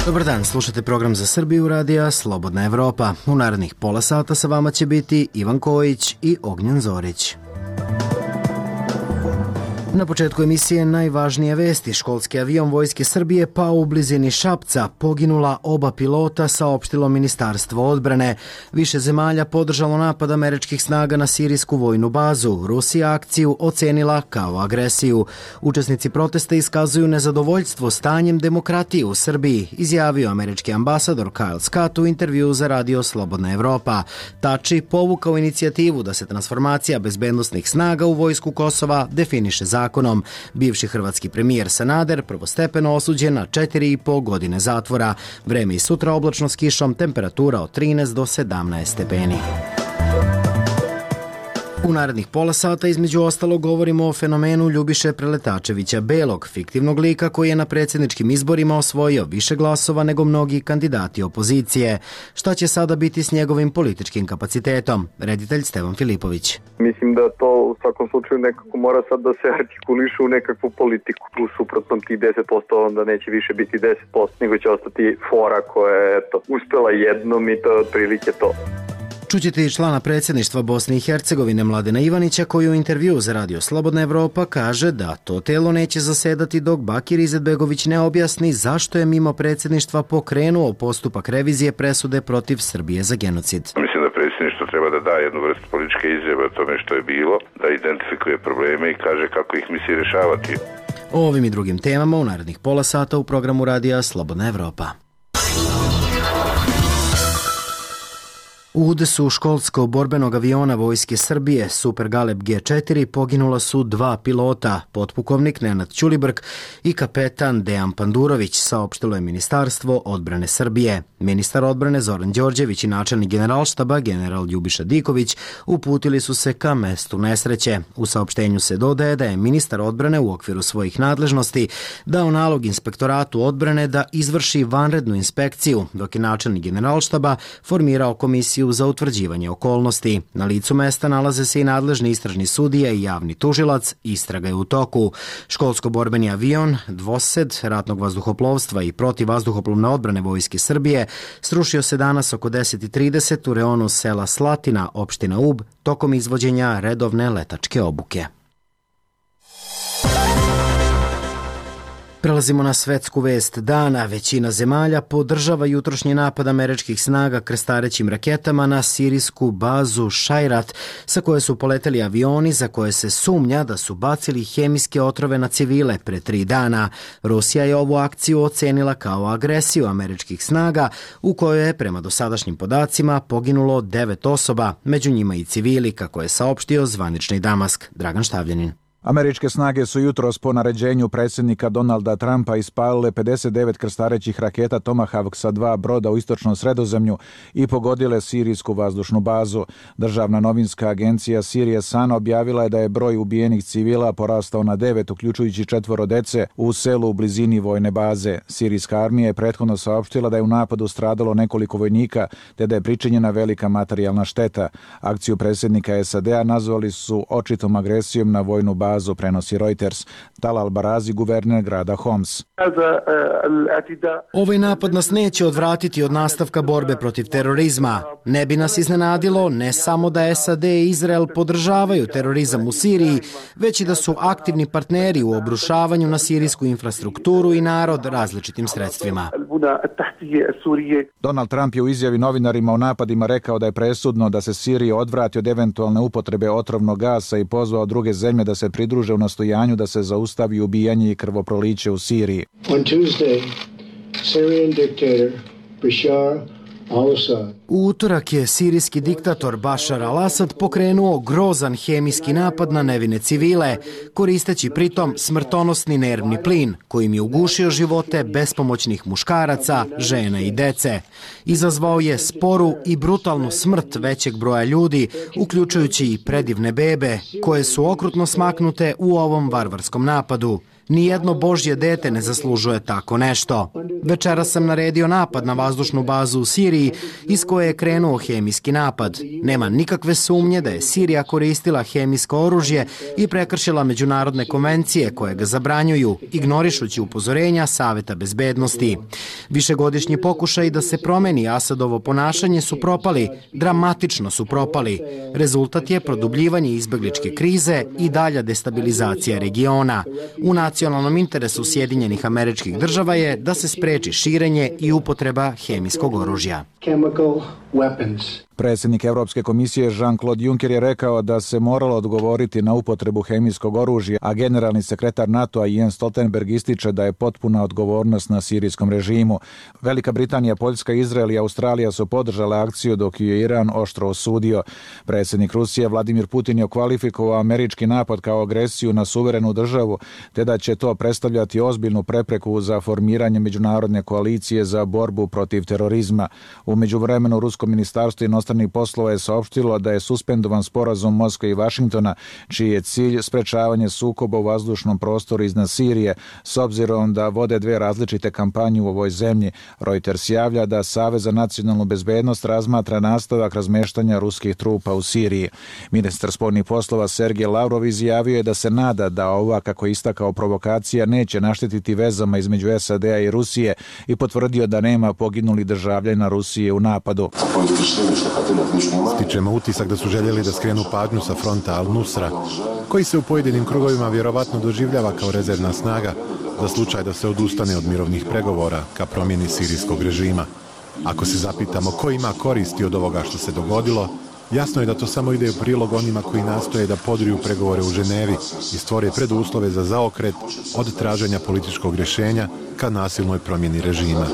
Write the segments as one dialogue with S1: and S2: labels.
S1: Dobar dan, slušate program za Srbiju radija Slobodna Evropa. U narednih pola sata sa vama će biti Ivan Kojić i Ognjen Zorić. Na početku emisije najvažnije vesti. Školski avion Vojske Srbije pao u blizini Šapca, poginula oba pilota, saopštilo Ministarstvo odbrane. Više zemalja podržalo napad američkih snaga na sirijsku vojnu bazu. Rusija akciju ocenila kao agresiju. Učesnici protesta iskazuju nezadovoljstvo stanjem demokratije u Srbiji, izjavio američki ambasador Kyle Scott u intervju za radio Slobodna Evropa. Tači povukao inicijativu da se transformacija bezbednosnih snaga u vojsku Kosova definiše zakonom. Bivši hrvatski premijer Sanader prvostepeno osuđen na 4,5 godine zatvora. Vreme i sutra oblačno s kišom, temperatura od 13 do 17 stepeni. U narednih pola sata između ostalog govorimo o fenomenu Ljubiše Preletačevića Belog, fiktivnog lika koji je na predsjedničkim izborima osvojio više glasova nego mnogi kandidati opozicije. Šta će sada biti s njegovim političkim kapacitetom? Reditelj Stevan Filipović.
S2: Mislim da to u svakom slučaju nekako mora sad da se artikuliše u nekakvu politiku. U suprotnom ti 10% onda neće više biti 10%, nego će ostati fora koja je uspela jednom i to je otprilike to.
S1: Čućete i člana predsjedništva Bosne i Hercegovine Mladena Ivanića koji u intervju za radio Slobodna Evropa kaže da to telo neće zasedati dok Bakir Izetbegović ne objasni zašto je mimo predsjedništva pokrenuo postupak revizije presude protiv Srbije za genocid.
S3: Mislim da predsjedništvo treba da da jednu vrstu političke izjave o tome što je bilo, da identifikuje probleme i kaže kako ih misli rješavati.
S1: O ovim i drugim temama u narednih pola sata u programu radija Slobodna Evropa. U udesu školskog borbenog aviona Vojske Srbije Super Galeb G4 poginula su 2 pilota, potpukovnik Nenad Ćulibrk i kapetan Dejan Pandurović, saopštilo je Ministarstvo odbrane Srbije. Ministar odbrane Zoran Đorđević i načelnik Generalštaba general Ljubiša Diković uputili su se ka mestu nesreće. U saopštenju se dodaje da je ministar odbrane u okviru svojih nadležnosti dao nalog inspektoratu odbrane da izvrši vanrednu inspekciju, dok je načelnik Generalštaba formirao komisiju za utvrđivanje okolnosti. Na licu mesta nalaze se i nadležni istražni sudija i javni tužilac, istraga je u toku. Školsko-borbeni avion, dvosed ratnog vazduhoplovstva i protivvazduhoplovne odbrane Vojske Srbije srušio se danas oko 10:30 u reonu sela Slatina, opština Ub, tokom izvođenja redovne letačke obuke. Prelazimo na svetsku vest dana. Većina zemalja podržava jutrošnji napad američkih snaga krstarećim raketama na sirijsku bazu Šajrat, sa koje su poleteli avioni za koje se sumnja da su bacili hemijske otrove na civile pre 3 dana. Rusija je ovu akciju ocenila kao agresiju američkih snaga, u kojoj je prema dosadašnjim podacima poginulo 9 osoba, među njima i civili, kako je saopštio zvanični Damask. Dragan Štavljanin.
S4: Američke snage su jutros po naređenju predsjednika Donalda Trumpa ispalile 59 krstarećih raketa Tomahawk sa 2 broda u istočnom Sredozemlju i pogodile sirijsku vazdušnu bazu. Državna novinska agencija Sirije Sun objavila je da je broj ubijenih civila porastao na 9, uključujući 4 dece u selu u blizini vojne baze. Sirijska armija je prethodno saopštila da je u napadu stradalo nekoliko vojnika, te da je pričinjena velika materijalna šteta. Akciju predsjednika SAD-a nazvali su očitom agresijom na vojnu bazu, prenosi Reuters. Talal Barazi, guverner grada Homs.
S1: Ovaj napad nas neće odvratiti od nastavka borbe protiv terorizma. Ne bi nas iznenadilo ne samo da SAD i Izrael podržavaju terorizam u Siriji, već i da su aktivni partneri u obrušavanju na sirijsku infrastrukturu i narod različitim sredstvima.
S4: Donald Trump je u izjavi novinarima o napadima rekao da je presudno da se Sirija odvrati od eventualne upotrebe otrovnog gasa i pozvao druge zemlje da se pridruže u nastojanju da se zaustavi ubijanje i krvoproliće u Siriji.
S5: On Tuesday, Syrian dictator Bashar al-Assad.
S1: U utorak je sirijski diktator Bashar al-Assad pokrenuo grozan hemijski napad na nevine civile, koristeći pritom smrtonosni nervni plin, kojim je ugušio živote bespomoćnih muškaraca, žena i dece. Izazvao je sporu i brutalnu smrt većeg broja ljudi, uključujući i predivne bebe, koje su okrutno smaknute u ovom varvarskom napadu. Nijedno božje dete ne zaslužuje tako nešto. Večeras sam naredio napad na vazdušnu bazu u Siriji iz koje je krenuo hemijski napad. Nema nikakve sumnje da je Sirija koristila hemijsko oružje i prekršila međunarodne konvencije koje ga zabranjuju, ignorišući upozorenja Saveta bezbednosti. Višegodišnji pokušaj da se promeni Asadovo ponašanje su propali, dramatično su propali. Rezultat je produbljivanje izbegličke krize i dalja destabilizacija regiona. U nacionalnom interesu Sjedinjenih Američkih Država je da se spreči širenje i upotreba hemijskog oružja.
S4: Predsjednik Evropske komisije Jean-Claude Juncker je rekao da se moralo odgovoriti na upotrebu hemijskog oružja, a generalni sekretar NATO-a Jens Stoltenberg ističe da je potpuna odgovornost na sirijskom režimu. Velika Britanija, Poljska, Izrael i Australija su podržale akciju dok ju je Iran oštro osudio. Predsjednik Rusije Vladimir Putin je okvalifikovao američki napad kao agresiju na suverenu državu, te da će to predstavljati ozbiljnu prepreku za formiranje međunarodne koalicije za borbu protiv terorizma. U međuvremenu Rusko ministarstvo inostranih poslova je saopštilo da je suspendovan sporazum Moskve i Vašingtona, čiji je cilj sprečavanje sukoba u vazdušnom prostoru iznad Sirije, s obzirom da vode dve različite kampanje u ovoj zemlji. Reuters javlja da Savez za nacionalnu bezbednost razmatra nastavak razmeštanja ruskih trupa u Siriji. Ministar spoljnih poslova Sergej Lavrov izjavio je da se nada da ova, kako je istakao, provokacija neće naštetiti vezama između SAD-a i Rusije i potvrdio da nema poginulih državljana Rusije u napadu.
S6: Stičemo utisak da su željeli da skrenu pažnju sa fronta Al-Nusra, koji se u pojedinim krugovima vjerovatno doživljava kao rezervna snaga za slučaj da se odustane od mirovnih pregovora ka promjeni sirijskog režima. Ako se zapitamo ko ima koristi od ovoga što se dogodilo, jasno je da to samo ide u prilog onima koji nastoje da podriju pregovore u Ženevi i stvore preduslove za zaokret od traženja političkog rješenja ka nasilnoj promjeni režima.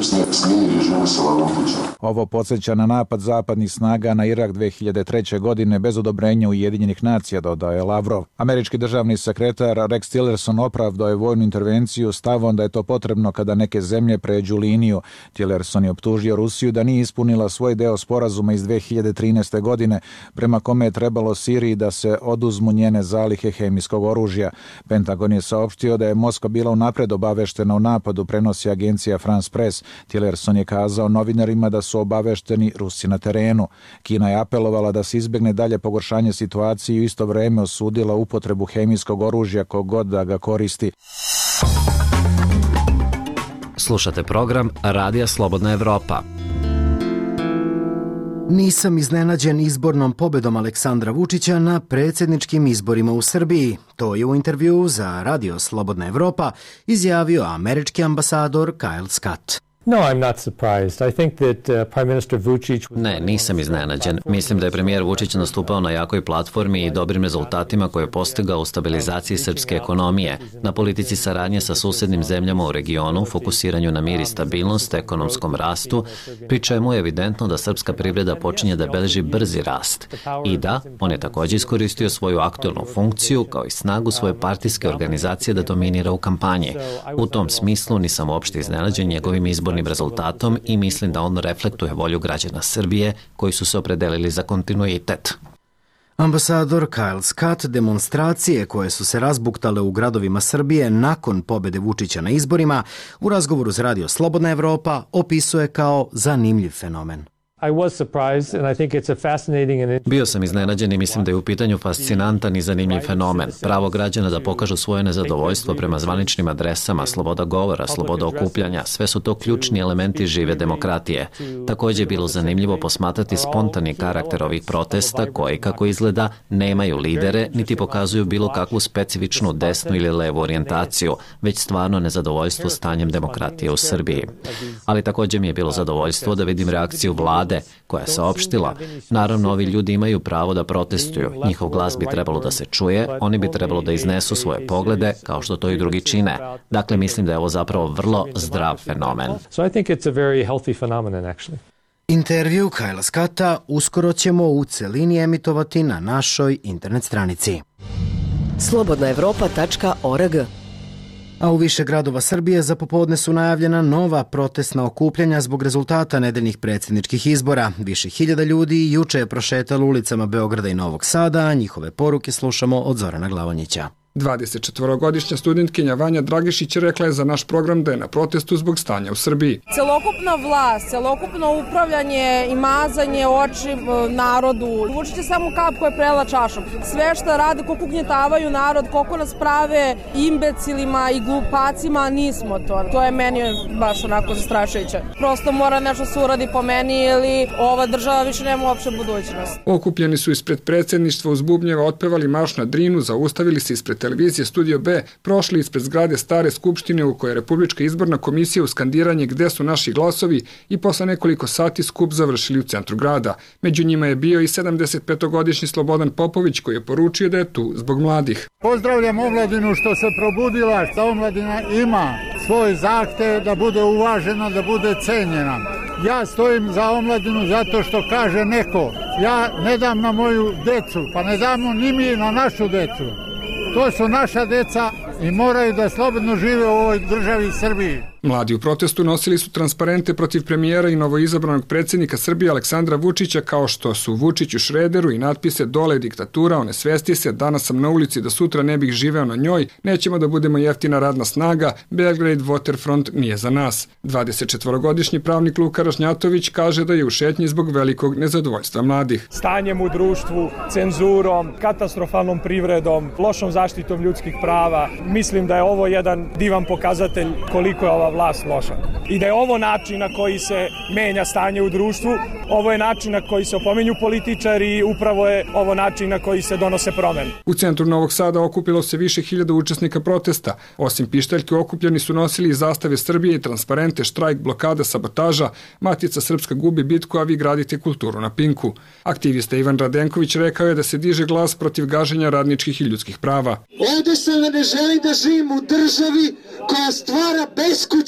S4: Ovo podsjeća na napad zapadnih snaga na Irak 2003. godine bez odobrenja Ujedinjenih nacija, dodaje Lavrov. Američki državni sekretar Rex Tillerson opravdao je vojnu intervenciju stavom da je to potrebno kada neke zemlje pređu liniju. Tillerson je optužio Rusiju da nije ispunila svoj deo sporazuma iz 2013. godine, prema kome je trebalo Siriji da se oduzmu njene zalihe hemijskog oružja. Pentagon je saopštio da je Moskva bila unapred obaveštena o napadu, prenosi agencija France Press. Tillerson je kazao novinarima da su obavešteni Rusi na terenu. Kina je apelovala da se izbjegne dalje pogoršanje situacije i u isto vrijeme osudila upotrebu hemijskog oružja kogod da ga koristi.
S7: Slušate program Radija Slobodna Evropa.
S1: Nisam iznenađen izbornom pobedom Aleksandra Vučića na predsjedničkim izborima u Srbiji. To je u intervjuu za Radio Slobodna Evropa izjavio američki ambasador Kyle Scott.
S8: No, I'm not surprised. I think that Prime Minister Vučić...
S7: Ne, nisam iznenađen. Mislim da je premijer Vučić nastupao na jakoj platformi i dobrim rezultatima koje je postigao u stabilizaciji srpske ekonomije, na politici saradnje sa susednim zemljama u regionu, fokusiranju na mir i stabilnost, ekonomskom rastu, pri čemu je evidentno da srpska privreda počinje da beleži brzi rast. I da, on je također iskoristio svoju aktualnu funkciju kao i snagu svoje partijske organizacije da dominira u kampanji. U tom smislu nisam uopšte iznenađen njegovim izbornim rezultatom i mislim da on reflektuje volju građana Srbije koji su se opredelili za kontinuitet.
S1: Ambasador Kyle Scott demonstracije koje su se razbuktale u gradovima Srbije nakon pobjede Vučića na izborima u razgovoru s Radio Slobodna Evropa opisuje kao zanimljiv fenomen.
S7: Bio sam iznenađen i mislim da je u pitanju fascinantan i zanimljiv fenomen. Pravo građana da pokažu svoje nezadovoljstvo prema zvaničnim adresama, sloboda govora, sloboda okupljanja, sve su to ključni elementi žive demokratije. Također je bilo zanimljivo posmatrati spontani karakter ovih protesta koji, kako izgleda, nemaju lidere niti pokazuju bilo kakvu specifičnu desnu ili levu orijentaciju, već stvarno nezadovoljstvo stanjem demokratije u Srbiji. Ali također mi je bilo zadovoljstvo da vidim reakciju vlade koja je saopštila. Naravno, ovi ljudi imaju pravo da protestuju. Njihov glas bi trebalo da se čuje, oni bi trebalo da iznesu svoje poglede, kao što to i drugi čine. Dakle, mislim da je ovo zapravo vrlo zdrav fenomen.
S1: Intervju Kyla Scotta uskoro ćemo u celini emitovati na našoj internet stranici.
S9: slobodnaevropa.org.
S1: A u više gradova Srbije za popodne su najavljena nova protestna okupljanja zbog rezultata nedeljnih predsjedničkih izbora. Više hiljada ljudi juče je prošetalo ulicama Beograda i Novog Sada, a njihove poruke slušamo od Zorana Glavonjića.
S9: 24-godišnja studentkinja Vanja Dragišić rekla je za naš program da je na protestu zbog stanja u Srbiji.
S10: Celokupna vlast, celokupno upravljanje i mazanje oči narodu. Vučić je samo kap koja je prela čašom. Sve što rade, koliko ugnjetavaju narod, koliko nas prave imbecilima i glupacima, nismo to. To je meni baš onako zastrašujuće. Prosto mora nešto se uradi po meni ili ova država više nema uopšte budućnost.
S9: Okupljeni su ispred predsjedništva uz bubnjeva, otpevali marš na Drinu, zaustavili se ispred televizije Studio B, prošli ispred zgrade Stare skupštine u kojoj je Republička izborna komisija u skandiranje Gde su naši glasovi i posle nekoliko sati skup završili u centru grada. Među njima je bio i 75-godišnji Slobodan Popović koji je poručio da je tu zbog mladih.
S11: Pozdravljam omladinu što se probudila, što omladina ima svoj zahtev da bude uvažena, da bude cenjena. Ja stojim za omladinu zato što kaže neko, ja ne dam na moju decu, pa ne damo ni mi na našu decu. To su naša deca i moraju da slobodno žive u ovoj državi Srbiji.
S9: Mladi u protestu nosili su transparente protiv premijera i novoizabranog predsjednika Srbije Aleksandra Vučića, kao što su Vučić u Šrederu i natpise Dole je diktatura, onesvesti se, danas sam na ulici da sutra ne bih živeo na njoj, nećemo da budemo jeftina radna snaga, Belgrade Waterfront nije za nas. 24-godišnji pravnik Luka Ražnjatović kaže da je u šetnji zbog velikog nezadovoljstva mladih.
S12: Stanjem u društvu, cenzurom, katastrofalnom privredom, lošom zaštitom ljudskih prava, mislim da je ovo jedan divan pokazatelj koliko je ova vlast loša. I da je ovo način na koji se menja stanje u društvu, ovo je način na koji se opominju političari i upravo je ovo način na koji se donose promene.
S9: U centru Novog Sada okupilo se više hiljada učesnika protesta. Osim pištaljke, okupljeni su nosili i zastave Srbije i transparente, štrajk, blokada, sabotaža, Matica Srpska gubi bitku, a vi gradite kulturu na Pinku. Aktivista Ivan Radenković rekao je da se diže glas protiv gaženja radničkih i ljudskih prava.
S13: Ovde se ne želi da živim u državi koja stvara beskućnike.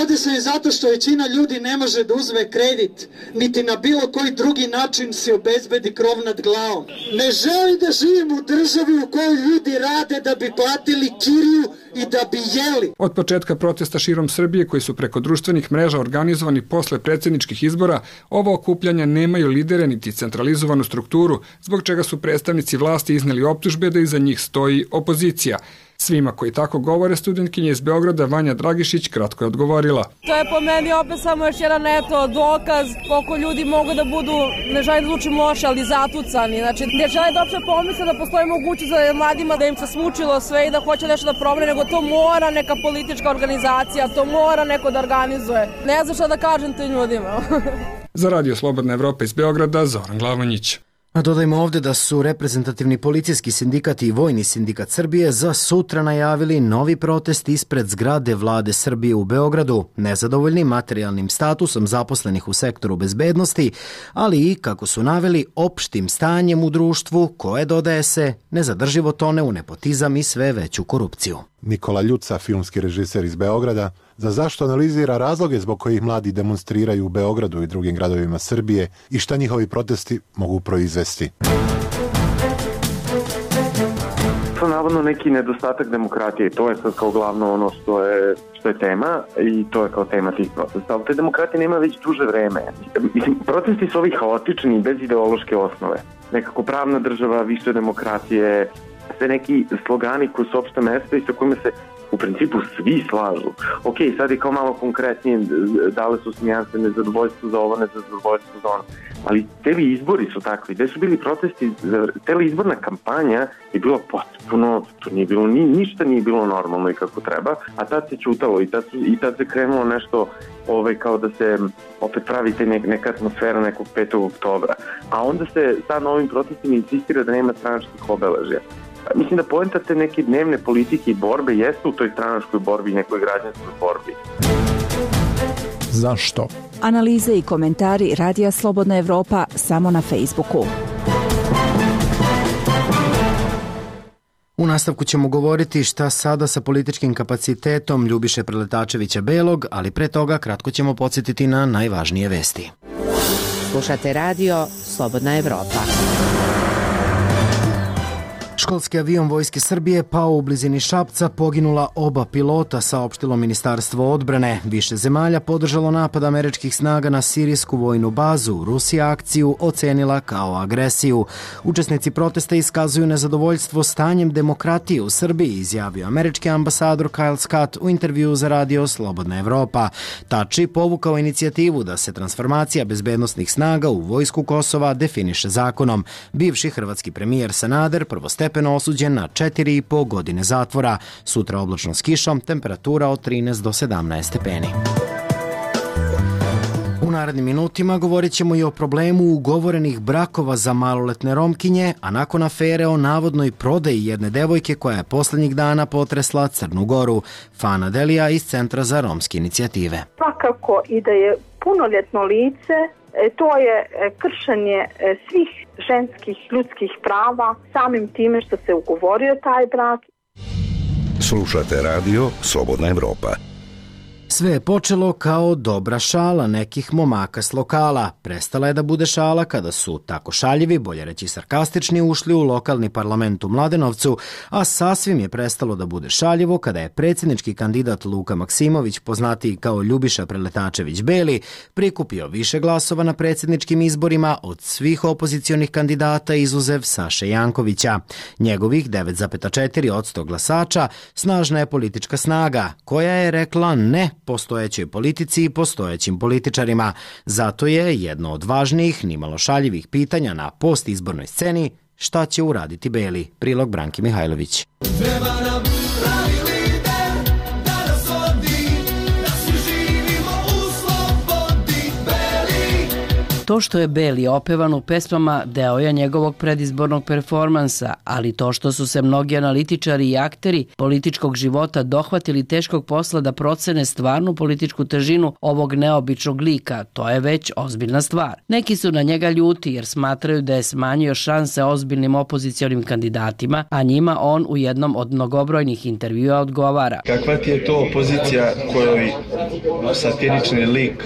S13: Ovde se je zato što većina ljudi ne može da uzme kredit, niti na bilo koji drugi način se obezbedi krov nad glavom. Ne želim da živim u državi u kojoj ljudi rade da bi platili kiriju i da bi jeli.
S9: Od početka protesta širom Srbije, koji su preko društvenih mreža organizovani posle predsjedničkih izbora, ova okupljanja nemaju lidere niti centralizovanu strukturu, zbog čega su predstavnici vlasti izneli optužbe da iza njih stoji opozicija. Svima koji tako govore, studentkinja iz Beograda Vanja Dragišić kratko je odgovorila.
S10: To je po meni opet samo još jedan dokaz koliko ljudi mogu da budu, ne želim da zvučim loše, ali zatucani. Znači, ne žele da uopšte pomisle da postoji mogućnost za mladima da im se smučilo sve i da hoće nešto da promene, nego to mora neka politička organizacija, to mora neko da organizuje. Ne znam šta da kažem tim ljudima.
S9: Za Radio Slobodna Evropa iz Beograda, Zoran Glavonjić.
S1: A dodajmo ovde da su reprezentativni policijski sindikat i Vojni sindikat Srbije za sutra najavili novi protest ispred zgrade Vlade Srbije u Beogradu, nezadovoljni materijalnim statusom zaposlenih u sektoru bezbednosti, ali i, kako su naveli, opštim stanjem u društvu koje, dodaje se, nezadrživo tone u nepotizam i sve veću korupciju.
S6: Nikola Ljuca, filmski režiser iz Beograda, za zašto analizira razloge zbog kojih mladi demonstriraju u Beogradu i drugim gradovima Srbije i šta njihovi protesti mogu proizvesti.
S2: To je navodno neki nedostatak demokratije. To je sad kao glavno ono što je tema i to je kao tema tih protesta. Ali te demokratije nema već duže vreme. Mislim, protesti su ovi haotični bez ideološke osnove. Nekako pravna država, više demokratije, sve neki slogani koji su opšte mesta i sa kojima se u principu svi slažu. Ok, sad je kao malo konkretnije, dale su smijanse nezadovoljstvo za ovo, nezadovoljstvo za ono. Ali tebi izbori su takvi. Gde su bili protesti, teli izborna kampanja je bilo potpuno, to nije bilo, ništa nije bilo normalno i kako treba, a tad se čutalo i tad se krenulo nešto kao da se opet pravite neka atmosfera nekog 5. oktobra. A onda se sad na ovim protestima insistira da nema stranačkih obeležja. Mislim da poenta te neke dnevne politike i borbe jeste u toj stranačkoj borbi i nekoj građanskoj borbi.
S4: Zašto?
S14: Analize i komentari Radija Slobodna Evropa samo na Facebooku.
S1: U nastavku ćemo govoriti šta sada sa političkim kapacitetom Ljubiše Preletačevića Belog, ali pre toga kratko ćemo podsjetiti na najvažnije vesti.
S15: Slušate Radio Slobodna Evropa.
S1: Školski avion Vojske Srbije pao u blizini Šapca, poginula oba pilota, saopštilo Ministarstvo odbrane. Više zemalja podržalo napad američkih snaga na sirijsku vojnu bazu. Rusija akciju ocenila kao agresiju. Učesnici protesta iskazuju nezadovoljstvo stanjem demokratije u Srbiji, izjavio američki ambasador Kyle Scott u intervjuu za radio Slobodna Evropa. Tači povukao inicijativu da se transformacija bezbednosnih snaga u vojsku Kosova definiše zakonom. Bivši hrvatski premijer Sanader prvostepeno osuđen na 4,5 godine zatvora. Sutra oblačno s kišom, temperatura od 13 do 17 stepeni. U narednim minutima govorit ćemo i o problemu ugovorenih brakova za maloletne Romkinje, a nakon afere o navodnoj prodaji jedne devojke koja je poslednjih dana potresla Crnu Goru. Fana Delija iz Centra za romske inicijative.
S15: Svakako i da je punoljetno lice, to je kršenje svih ženskih ljudskih prava samim time što se ugovorio taj brak.
S16: Slušate radio Slobodna Evropa.
S1: Sve je počelo kao dobra šala nekih momaka s lokala. Prestala je da bude šala kada su tako šaljivi, bolje reći sarkastični, ušli u lokalni parlament u Mladenovcu, a sasvim je prestalo da bude šaljivo kada je predsjednički kandidat Luka Maksimović, poznatiji kao Ljubiša Preletačević Beli, prikupio više glasova na predsjedničkim izborima od svih opozicionih kandidata izuzev Saše Jankovića. Njegovih 9,4% glasača snažna je politička snaga, koja je rekla ne postojećoj politici i postojećim političarima. Zato je jedno od važnijih, nimalo šaljivih pitanja na postizbornoj sceni šta će uraditi Beli. Prilog Branki Mihajlović.
S17: Treba nam pravi lider da nas vodi, da svi živimo u slobodi. Beli.
S18: To što je Beli opevan u pesmama deo je njegovog predizbornog performansa, ali to što su se mnogi analitičari i akteri političkog života dohvatili teškog posla da procene stvarnu političku težinu ovog neobičnog lika, to je već ozbiljna stvar. Neki su na njega ljuti jer smatraju da je smanjio šanse ozbiljnim opozicionim kandidatima, a njima on u jednom od mnogobrojnih intervjua odgovara.
S19: Kakva ti je to opozicija kojoj satirični lik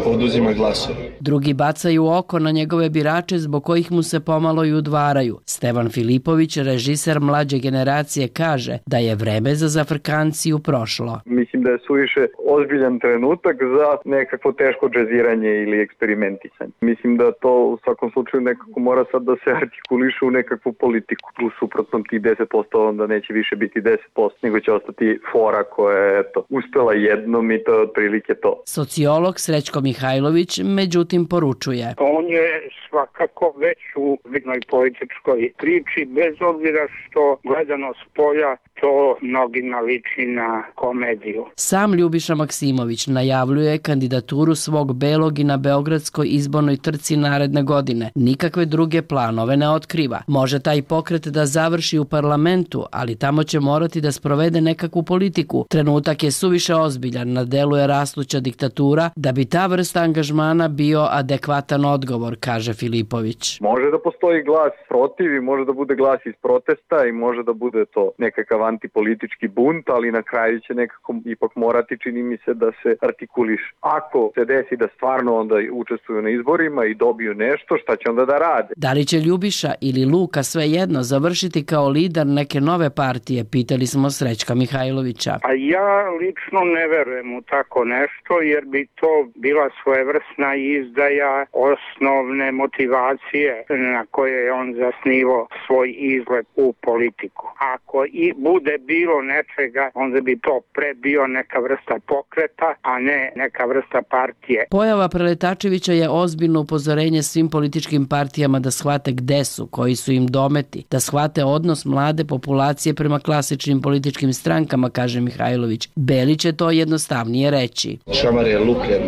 S19: oduzima glasove?
S18: Drugi bacaju oko na njegove birače zbog kojih mu se pomalo i udvaraju. Stevan Filipović, režiser mlađe generacije, kaže da je vreme za zafrkanciju prošlo.
S2: Mislim da je suviše ozbiljan trenutak za nekakvo teško džeziranje ili eksperimentisanje. Mislim da to u svakom slučaju nekako mora sad da se artikuliše u nekakvu politiku. U suprotnom tih 10% onda neće više biti 10%, nego će ostati fora koja je uspela jednom i to je otprilike to.
S18: Sociolog Srećko Mihajlović međutim poručuje.
S20: On je svakako već u vidnoj političkoj priči, bez obzira što gledano s polja to mnogima liči na komediju.
S18: Sam Ljubiša Maksimović najavljuje kandidaturu svog Belog i na beogradskoj izbornoj trci naredne godine. Nikakve druge planove ne otkriva. Može taj pokret da završi u parlamentu, ali tamo će morati da sprovede nekakvu politiku. Trenutak je suviše ozbiljan, na delu je rastuća diktatura, da bi ta vrsta angažmana bio adekvatan odgovor, kaže Filipović.
S2: Može da postoji glas protiv i može da bude glas iz protesta i može da bude to nekakav antipolitički bunt, ali na kraju će nekako ipak morati, čini mi se, da se artikuliše. Ako se desi da stvarno onda učestvuju na izborima i dobiju nešto, šta će onda da rade?
S18: Da li će Ljubiša ili Luka svejedno završiti kao lider neke nove partije, pitali smo Srećka Mihajlovića.
S20: A ja lično ne verujem u tako nešto, jer bi to bila svojevrsna izdaja osnovne motivacije na koje je on zasnivao svoj izlet u politiku. Ako i bude bilo nečega, onda bi to pre bio neka vrsta pokreta, a ne neka vrsta partije.
S18: Pojava Preletačevića je ozbiljno upozorenje svim političkim partijama da shvate gde su, koji su im dometi, da shvate odnos mlade populacije prema klasičnim političkim strankama, kaže Mihajlović. Beli će to jednostavnije reći.
S19: Šamar je lupljen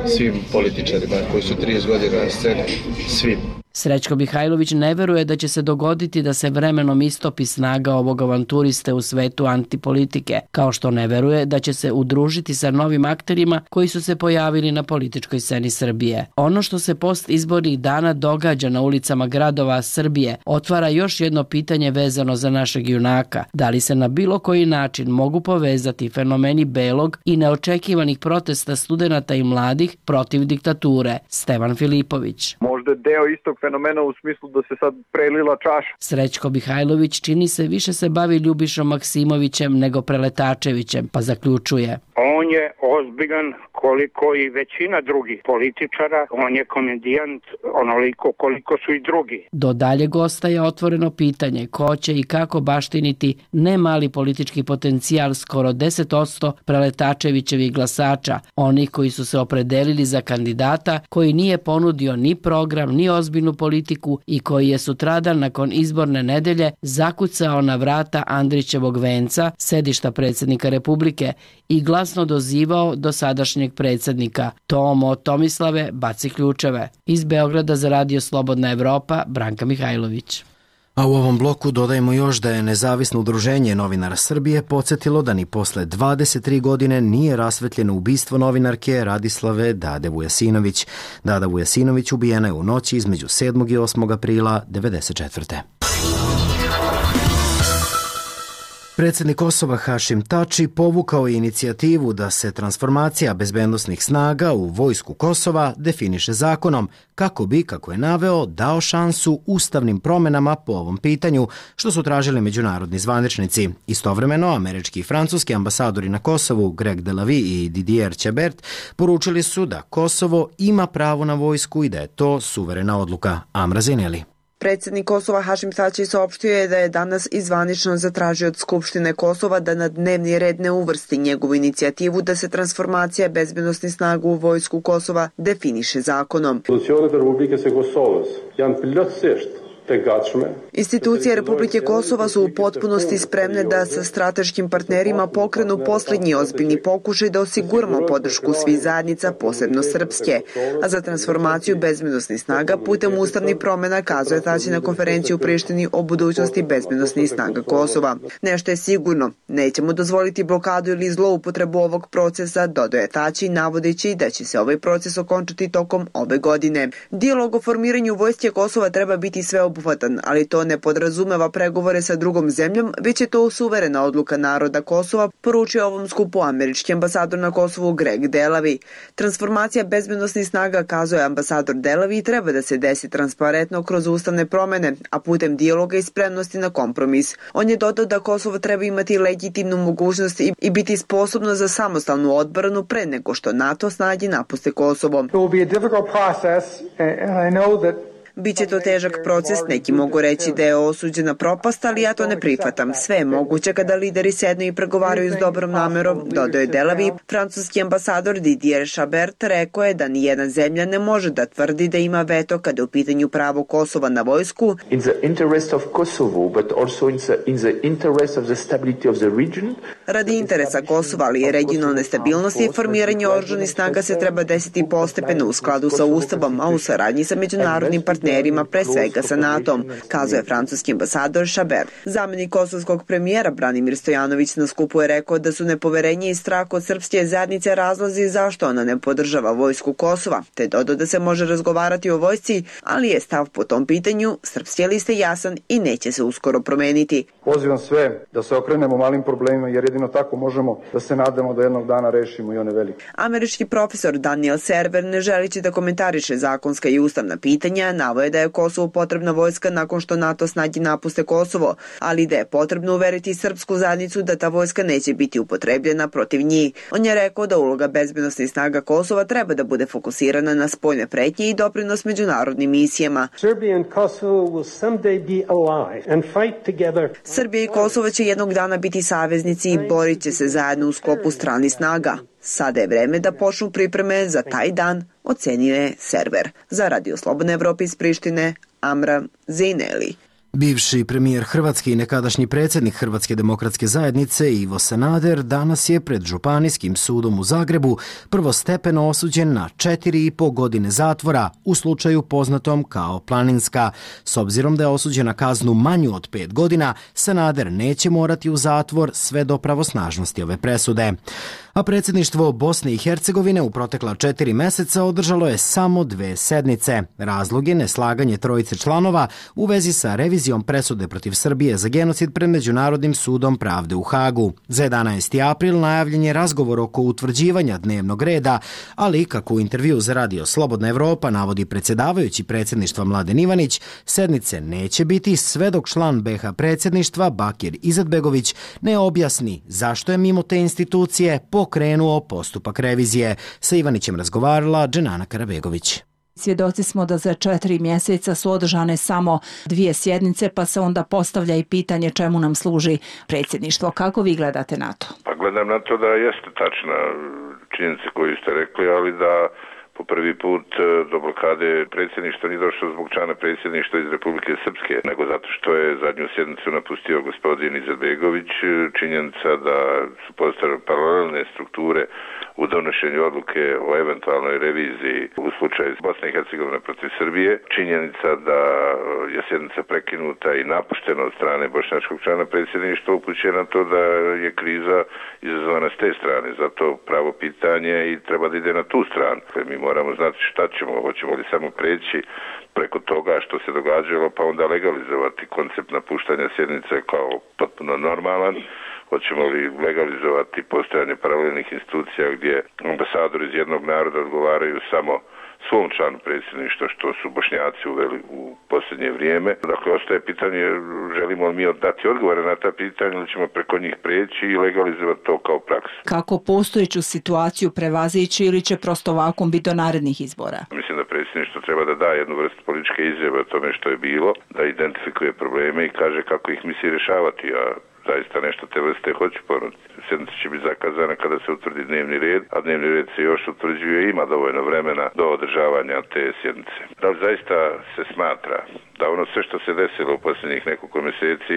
S19: svim političarima koji su 30 godina na sceni, svim.
S18: Srećko Mihajlović ne veruje da će se dogoditi da se vremenom istopi snaga ovog avanturiste u svetu antipolitike, kao što ne veruje da će se udružiti sa novim akterima koji su se pojavili na političkoj sceni Srbije. Ono što se post izbornih dana događa na ulicama gradova Srbije otvara još jedno pitanje vezano za našeg junaka. Da li se na bilo koji način mogu povezati fenomeni belog i neočekivanih protesta studenata i mladih protiv diktature? Stevan Filipović.
S2: možda je deo istog fenomena u smislu da se sad prelila čaša.
S18: Srećko Mihajlović čini se više se bavi Ljubišom Maksimovićem nego Preletačevićem, pa zaključuje.
S20: On je ozbiljan koliko i većina drugih političara, on je komedijant onoliko koliko su i drugi.
S18: Do daljeg ostaje otvoreno pitanje ko će i kako baštiniti ne mali politički potencijal skoro 10% Preletačevićevih glasača, onih koji su se opredelili za kandidata koji nije ponudio ni program ni ozbiljnu politiku i koji je sutradan nakon izborne nedelje zakucao na vrata Andrićevog venca, sedišta predsjednika Republike, i glasno dozivao do sadašnjeg predsjednika. Tomo Tomislave, baci ključeve. Iz Beograda za Radio Slobodna Evropa, Branka Mihajlović.
S1: A u ovom bloku dodajemo još da je Nezavisno udruženje novinara Srbije podsjetilo da ni posle 23 godine nije rasvetljeno ubistvo novinarke Radislave Dade Vujasinović. Dada Vujasinović ubijena je u noći između 7. i 8. aprila 1994. Predsjednik Kosova Hašim Tači povukao je inicijativu da se transformacija bezbednosnih snaga u vojsku Kosova definiše zakonom, kako bi, kako je naveo, dao šansu ustavnim promenama po ovom pitanju, što su tražili međunarodni zvaničnici. Istovremeno, američki i francuski ambasadori na Kosovu, Greg Delavi i Didier Čebert, poručili su da Kosovo ima pravo na vojsku i da je to suverena odluka. Amra Zineli.
S21: Predsjednik Kosova Hašim Tači saopštio je da je danas izvanično zatražio od Skupštine Kosova da na dnevni red ne uvrsti njegovu inicijativu da se transformacija bezbednosnih snaga u vojsku Kosova definiše zakonom. Institucije Republike Kosova su u potpunosti spremne da sa strateškim partnerima pokrenu posljednji ozbiljni pokušaj da osiguramo podršku svih zajednica, posebno srpske. A za transformaciju bezbednosnih snaga putem ustavnih promjena kazuje Tači na konferenciju u Prištini o budućnosti bezbednosnih snaga Kosova. Nešto je sigurno, nećemo dozvoliti blokadu ili zloupotrebu ovog procesa, dodaje Tači, navodeći da će se ovaj proces okončati tokom ove godine. Dijalog o formiranju vojske Kosova treba biti sveobuhvatan, ali to ne podrazumeva pregovore sa drugom zemljom, već je to suverena odluka naroda Kosova, poručio ovom skupu američki ambasador na Kosovu Greg Delavi. Transformacija bezbednosnih snaga, kazuje ambasador Delavi, treba da se desi transparentno kroz ustavne promene, a putem dijaloga i spremnosti na kompromis. On je dodao da Kosovo treba imati legitimnu mogućnost i biti sposobno za samostalnu odbranu pre nego što NATO snage napuste Kosovo. Biće to težak proces, neki mogu reći da je osuđena propast, ali ja to ne prihvatam. Sve je moguće kada lideri sednu i pregovaraju s dobrom namerom, dodaje Delavi. Francuski ambasador Didier Chabert rekao je da nijedna zemlja ne može da tvrdi da ima veto kada je u pitanju pravo Kosova na vojsku. Radi interesa Kosova, ali i regionalne stabilnosti, formiranje oružanih snaga se treba desiti postepeno u skladu sa Ustavom, a u saradnji sa međunarodnim partnerima, pre svega sa NATO-om, kazuje francuski ambasador Chabert. Zamenik kosovskog premijera Branimir Stojanović na skupu je rekao da su nepoverenje i strah od srpske zajednice razlozi zašto ona ne podržava vojsku Kosova, te dodao da se može razgovarati o vojsci, ali je stav po tom pitanju srpske liste jasan i neće se uskoro promeniti.
S22: Pozivam sve da se okrenemo malim problemima, jer jedino tako možemo da se nadamo da jednog dana rešimo i one velike.
S21: Američki profesor Daniel Server, ne želići da komentariše zakonska i ustavna pitanja, navoje da je Kosovu potrebna vojska nakon što NATO snage napuste Kosovo, ali da je potrebno uveriti srpsku zajednicu da ta vojska neće biti upotrebljena protiv njih. On je rekao da uloga bezbednosnih snaga Kosova treba da bude fokusirana na spoljne pretnje i doprinos međunarodnim misijama. Srbija i Kosovo će jednog dana biti saveznici i borit će se zajedno u sklopu stranih snaga. Sada je vreme da počnu pripreme za taj dan, ocenio je Server. Za Radio Slobodna Evropa iz Prištine, Amra Zineli.
S1: Bivši premijer Hrvatske i nekadašnji predsjednik Hrvatske demokratske zajednice Ivo Sanader danas je pred Županijskim sudom u Zagrebu prvostepeno osuđen na 4,5 godine zatvora u slučaju poznatom kao Planinska. S obzirom da je osuđen na kaznu manju od 5 godina, Sanader neće morati u zatvor sve do pravosnažnosti ove presude. A predsjedništvo Bosne i Hercegovine u protekla 4 meseca održalo je samo 2 sednice. Razlog je neslaganje trojice članova u vezi sa revizijom presude protiv Srbije za genocid pred Međunarodnim sudom pravde u Hagu. Za 11. april najavljen je razgovor oko utvrđivanja dnevnog reda, ali kako u intervju za Radio Slobodna Evropa navodi predsjedavajući predsjedništva Mladen Ivanić, sednice neće biti sve dok član BiH predsjedništva Bakir Izetbegović ne objasni zašto je mimo te institucije pokrenuo postupak revizije. Sa Ivanićem razgovarala Dženana Karabegović.
S14: Svjedoci smo da za 4 mjeseca su održane samo 2 sjednice, pa se onda postavlja i pitanje čemu nam služi predsjedništvo. Kako vi gledate na to?
S3: Pa gledam na to da jeste tačna činjenica koju ste rekli, ali da po prvi put do blokade predsjedništva nije došlo zbog člana predsjedništva iz Republike Srpske, nego zato što je zadnju sjednicu napustio gospodin Izetbegović. Činjenica da su postavljene paralelne strukture u donošenju odluke o eventualnoj reviziji u slučaju Bosne i Hercegovine protiv Srbije. Činjenica da je sjednica prekinuta i napuštena od strane bošnjačkog člana predsjedništva upućuje na to da je kriza izazvana s te strane. Zato pravo pitanje i treba da ide na tu stranu. Mi moramo znati šta ćemo, hoćemo li samo preći preko toga što se događalo pa onda legalizovati koncept napuštanja sjednice kao potpuno normalan. Hoćemo li legalizovati postojanje paralelnih institucija gdje ambasadori iz jednog naroda odgovaraju samo svom članu predsjedništva, što su Bošnjaci uveli u posljednje vrijeme. Dakle, ostaje pitanje, želimo li mi dati odgovore na ta pitanja ili ćemo preko njih preći i legalizovati to kao praksu.
S14: Kako postojeću situaciju prevazići ili će prosto vakum biti do narednih izbora?
S3: Mislim da predsjedništvo treba da da jednu vrstu političke izjave o tome što je bilo, da identifikuje probleme i kaže kako ih misli rješavati, a zaista nešto te vrste hoću ponuditi. Sjednica će biti zakazana kada se utvrdi dnevni red, a dnevni red se još utvrđuje i ima dovoljno vremena do održavanja te sjednice. Da li zaista se smatra da ono sve što se desilo u posljednjih nekoliko mjeseci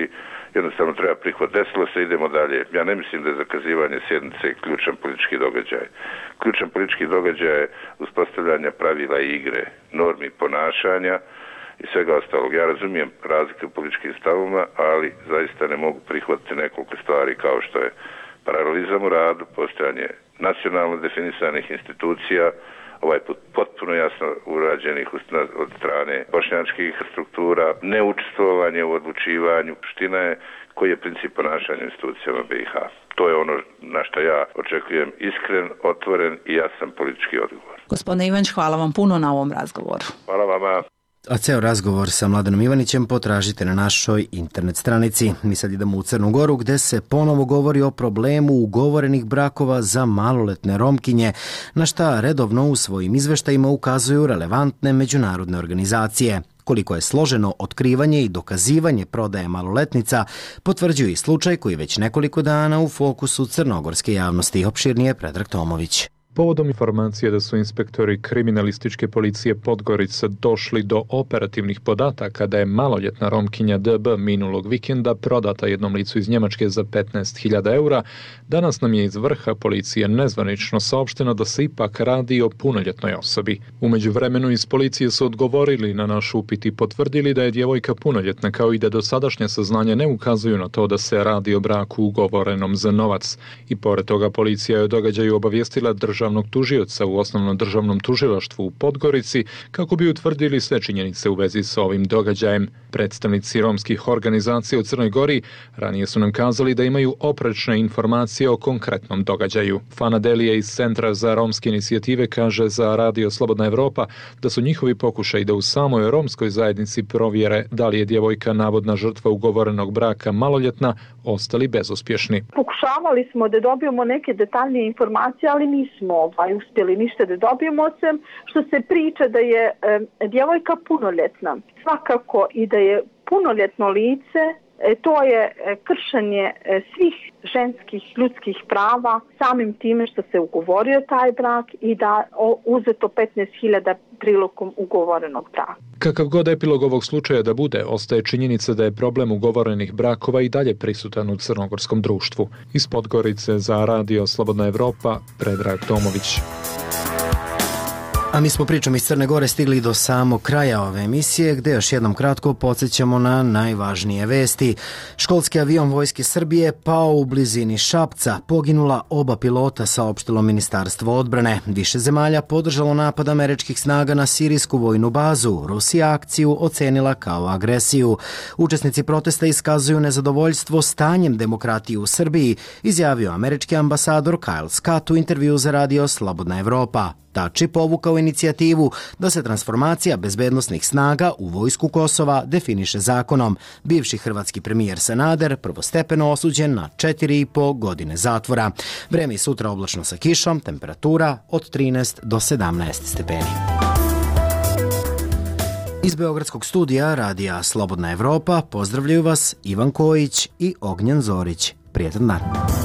S3: jednostavno treba prihvatiti. Desilo se, idemo dalje. Ja ne mislim da je zakazivanje sjednice ključan politički događaj. Ključan politički događaj je uspostavljanje pravila igre, normi ponašanja i svega ostalog. Ja razumijem razlike u političkim stavovima, ali zaista ne mogu prihvatiti nekoliko stvari kao što je paralelizam u radu, postojanje nacionalno definisanih institucija, ovaj put potpuno jasno urađenih od strane bošnjačkih struktura, neučestvovanje u odlučivanju. Ština je koji je princip ponašanja institucijama BiH. To je ono na što ja očekujem iskren, otvoren i jasan politički odgovor.
S14: Gospodine Ivanić, hvala vam puno na ovom razgovoru.
S3: Hvala vama.
S1: A ceo razgovor sa Mladenom Ivanićem potražite na našoj internet stranici. Mi sad idemo u Crnu Goru gdje se ponovo govori o problemu ugovorenih brakova za maloletne Romkinje, na šta redovno u svojim izveštajima ukazuju relevantne međunarodne organizacije. Koliko je složeno otkrivanje i dokazivanje prodaje maloletnica, potvrđuje i slučaj koji već nekoliko dana u fokusu crnogorske javnosti. Opširnije Predrag Tomović.
S5: Povodom informacije da su inspektori kriminalističke policije Podgorica došli do operativnih podataka da je maloljetna Romkinja DB minulog vikenda prodata jednom licu iz Njemačke za 15.000 eura, danas nam je iz vrha policije nezvanično saopšteno da se ipak radi o punoljetnoj osobi. U međuvremenu iz policije su odgovorili na naš upit i potvrdili da je djevojka punoljetna, kao i da dosadašnje saznanja ne ukazuju na to da se radi o braku ugovorenom za novac. I pored toga policija je o događaju obavijestila državnog tužioca u osnovnom državnom tužilaštvu u Podgorici kako bi utvrdili sve činjenice u vezi sa ovim događajem. Predstavnici romskih organizacija u Crnoj Gori ranije su nam kazali da imaju oprečne informacije o konkretnom događaju. Fana Delija iz Centra za romske inicijative kaže za Radio Slobodna Evropa da su njihovi pokušaji da u samoj romskoj zajednici provjere da li je djevojka navodna žrtva ugovorenog braka maloljetna ostali bezuspješni.
S15: Pokušavali smo da dobijemo neke detaljnije informacije, ali nismo uspjeli ništa da dobijemo, osim što se priča da je djevojka punoljetna. Svakako i da je punoljetno lice, to je kršenje svih ženskih ljudskih prava samim time što se ugovorio taj brak i da uzeto 15.000 prilikom ugovorenog braka.
S5: Kakav god epilog ovog slučaja da bude, ostaje činjenica da je problem ugovorenih brakova i dalje prisutan u crnogorskom društvu. Iz Podgorice za Radio Slobodna Evropa, Predrag Tomović.
S1: A mi smo pričom iz Crne Gore stigli do samog kraja ove emisije, gde još jednom kratko podsjećamo na najvažnije vesti. Školski avion Vojske Srbije pao u blizini Šapca, poginula oba pilota, saopštilo Ministarstvo odbrane. Više zemalja podržalo napad američkih snaga na sirijsku vojnu bazu. Rusija akciju ocenila kao agresiju. Učesnici protesta iskazuju nezadovoljstvo stanjem demokratije u Srbiji, izjavio američki ambasador Kyle Scott u intervju za radio Slobodna Evropa. Tači povukao inicijativu da se transformacija bezbednosnih snaga u vojsku Kosova definiše zakonom. Bivši hrvatski premijer Sanader prvostepeno osuđen na 4,5 godine zatvora. Vreme i sutra oblačno sa kišom, temperatura od 13 do 17 stepeni. Iz Beogradskog studija radija Slobodna Evropa pozdravljaju vas Ivan Kojić i Ognjen Zorić. Prijetan dan.